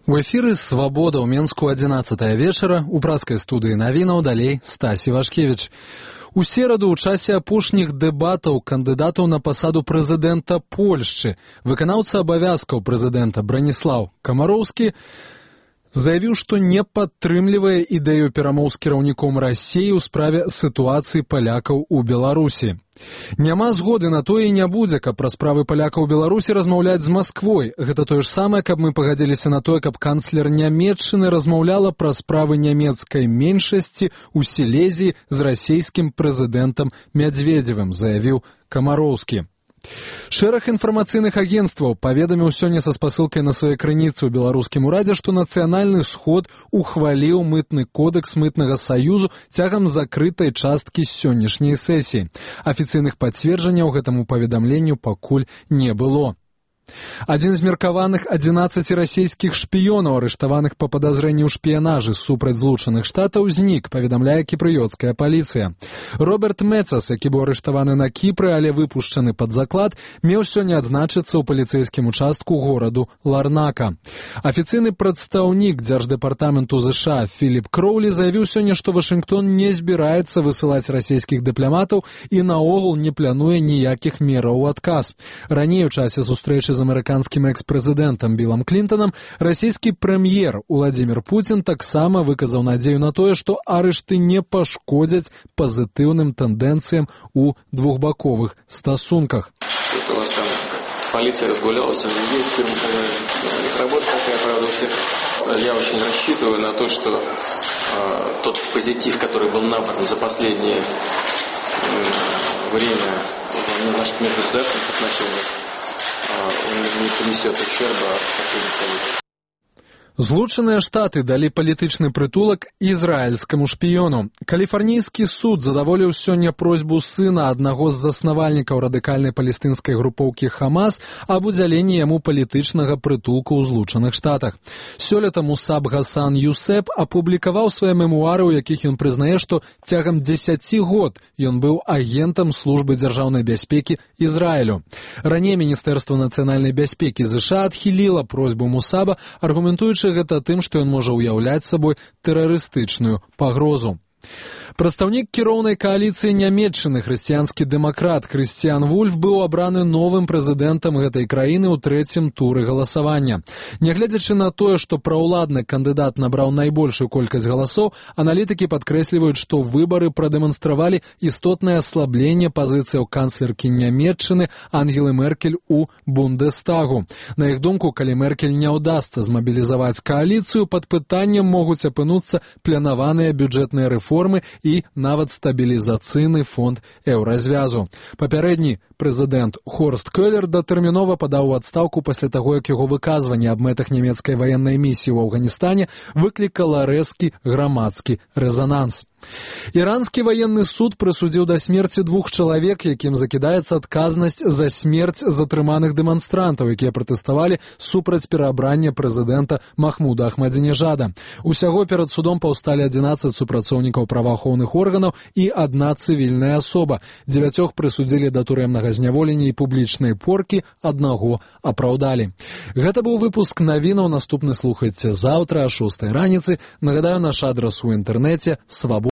У эфіры «Свабода» ў Менску 11 вечара, у праскай студыі навінаў далей Стасі Вашкевіч. У сераду ў часе апошніх дэбатаў кандыдатаў на пасаду прэзідэнта Польшчы выканаўца абавязкаў прэзідэнта Браніслаў Камароўскі заявіў, што не падтрымлівае ідэю перамоў з кіраўніком Расіі ў справе сітуацыі палякаў у Беларусі. Няма згоды на тое і не будзе, каб пра справы палякаў у Беларусі размаўляць з Масквой. Гэта тое ж самае, каб мы пагадзіліся на тое, каб канцлер Нямецчыны размаўляла пра справы нямецкай меншасці ў Сілезіі з расійскім прэзідэнтам Мядзведзевым, заявіў Камароўскі. Шэраг інфармацыйных агенцтваў паведаміў сёння са спасылкай на свае крыніцы ў беларускім урадзе, што Нацыянальны сход ухваліў мытны кодэкс мытнага саюзу цягам закрытай часткі сённяшняй сесіі. Афіцыйных пацверджанняў гэтаму паведамленню пакуль не было. Адзін з меркаваных 11 расійскіх шпіёнаў, арыштаваных па падазрэнні ў шпіянажы супраць Злучаных Штатаў, знік, паведамляе кіпрыёцкая паліцыя. Роберт Мецас, які быў арыштаваны на Кіпры, але выпушчаны пад заклад, меў сёння адзначыцца ў паліцэйскім участку гораду Ларнака. Афіцыйны прадстаўнік Дзярждэпартаменту ЗША Філіп Кроулі заявіў сёння, што Вашынгтон не збіраецца высылаць расійскіх дыпламатаў і наогул не плануе ніякіх мераў у адказ. Раней у часе сустрэчы з амерыканскім экс-прэзідэнтам Білам Клінтанам расійскі прэм'ер Уладзімір Пуцін таксама выказаў надзею на тое, што арышты не пашкодзяць пазітыўным тэндэнцыям у двухбаковых стасунках. У вас там полиция разгулялась, их работа такая, правда, у всех. Я очень рассчитываю на то, что тот позитив, который был набран за последнее время в наших межгосударственных отношениях, он не принесет ущерба последним. Злучаныя Штаты далі палітычны прытулак ізраільскаму шпіёну. Каліфарнійскі суд задаволіў сёння просьбу сына аднаго з заснавальнікаў радыкальнай палестынскай групоўкі Хамас аб удзяленні яму палітычнага прытулку ў Злучаных Штатах. Сёлета Мусаб Гасан Юсеп апублікаваў свае мемуары, у якіх ён прызнае, што цягам 10 год ён быў агентам службы дзяржаўнай бяспекі Ізраілю. Раней Міністэрства нацыянальнай бяспекі ЗША адхіліла просьбу Мусаба, аргументуючы гэта тым, што ён можа ўяўляць сабой тэрарыстычную пагрозу. Прадстаўнік кіроўнай кааліцыі Нямецчыны, хрысціянскі дэмакрат Крысціян Вульф, быў абраны новым прэзідэнтам гэтай краіны ў трэцім туры галасавання. Нягледзячы на тое, што праўладны кандыдат набраў найбольшую колькасць галасоў, аналітыкі падкрэсліваюць, што выбары прадэманстравалі істотнае аслабленне пазіцыяў канцлеркі Нямецчыны Ангелы Меркель у Бундестагу. На іх думку, калі Меркель не ўдасца змабілізаваць кааліцыю, пад пытаннем могуць апынуцца планаваныя бюджэтныя рэформы і нават стабілізацыйны фонд еўразвязу. Папярэдні прэзідэнт Хорст Кёлер датэрмінова падаў у адстаўку пасля таго, як яго выказванне аб мэтах нямецкай ваеннай місіі ў Афганістане выклікала рэзкі грамадскі рэзананс. Іранскі ваенны суд прысудзіў да смерці 2 чалавек, якім закідаецца адказнасць за смерць затрыманых дэманстрантаў, якія пратэставалі супраць пераабрання прэзідэнта Махмуда Ахмадзінежада. Усяго перад судом паўсталі 11 супрацоўнікаў праваахоўных органаў і 1 цывільная асоба. 9 прысудзілі да турэмнага зняволення і публічнай поркі, 1 апраўдалі. Гэта быў выпуск навінаў. Наступны слухайце заўтра о 6 раніцы. Нагадаю, наш адрас у інтэрнэце свабода.